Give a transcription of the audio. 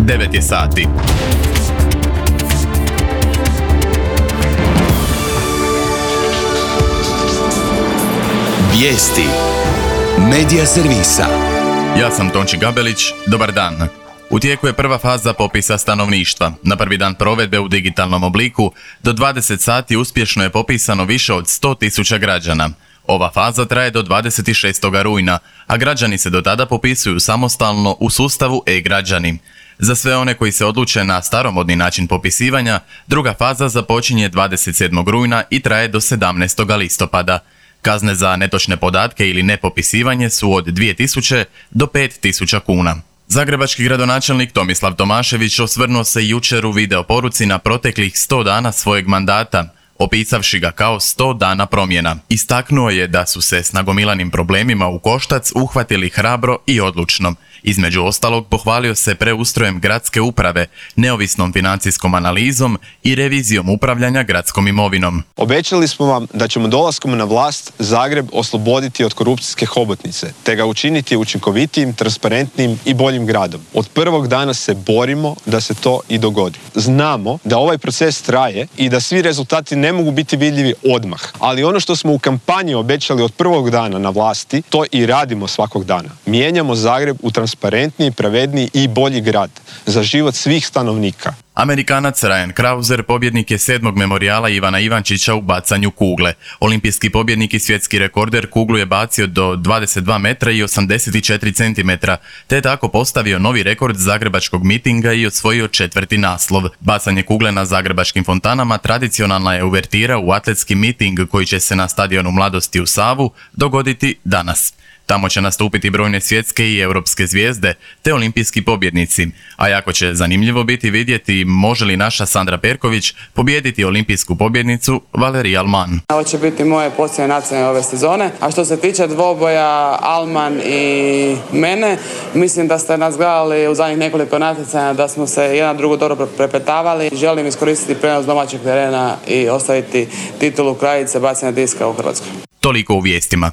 9 je sati. Vijesti Medija servisa. Ja sam Tonči Gabelić, dobar dan. U tijeku je prva faza popisa stanovništva. Na prvi dan provedbe u digitalnom obliku do 20 sati uspješno je popisano više od 100.000 građana. Ova faza traje do 26. rujna, a građani se do tada popisuju samostalno u sustavu e-građani. Za sve one koji se odluče na staromodni način popisivanja, druga faza započinje 27. rujna i traje do 17. listopada. Kazne za netočne podatke ili nepopisivanje su od 2.000 do 5.000 kuna. Zagrebački gradonačelnik Tomislav Tomašević osvrnuo se jučer u video poruci na proteklih 100 dana svojeg mandata, opisavši ga kao 100 dana promjena. Istaknuo je da su se s nagomilanim problemima u koštac uhvatili hrabro i odlučno. Između ostalog, pohvalio se preustrojem gradske uprave, neovisnom financijskom analizom i revizijom upravljanja gradskom imovinom. Obećali smo vam da ćemo dolaskom na vlast Zagreb osloboditi od korupcijske hobotnice, te ga učiniti učinkovitijim, transparentnim i boljim gradom. Od prvog dana se borimo da se to i dogodi. Znamo da ovaj proces traje i da svi rezultati ne mogu biti vidljivi odmah, ali ono što smo u kampanji obećali od prvog dana na vlasti, to i radimo svakog dana. Mijenjamo Zagreb u transparentniji, pravedniji i bolji grad za život svih stanovnika. Amerikanac Ryan Krauser pobjednik je 7. memorijala Ivana Ivančića u bacanju kugle. Olimpijski pobjednik i svjetski rekorder kuglu je bacio do 22 metra i 84 centimetra, te je tako postavio novi rekord zagrebačkog mitinga i osvojio 4. naslov. Bacanje kugle na zagrebačkim fontanama tradicionalna je uvertira u atletski miting koji će se na stadionu Mladosti u Savu dogoditi danas. Tamo će nastupiti brojne svjetske i europske zvijezde, te olimpijski pobjednici. A jako će zanimljivo biti vidjeti može li naša Sandra Perković pobijediti olimpijsku pobjednicu Valerija Alman. Ovo će biti moje posljednje nacionalne ove sezone. A što se tiče dvoboja Alman i mene, mislim da ste nas gledali u zadnjih nekoliko natjecanja da smo se jedan drugo dobro prepetavali. Želim iskoristiti prenos domaćeg terena i ostaviti titulu kraljice bacanja diska u Hrvatskoj. Toliko u vijestima.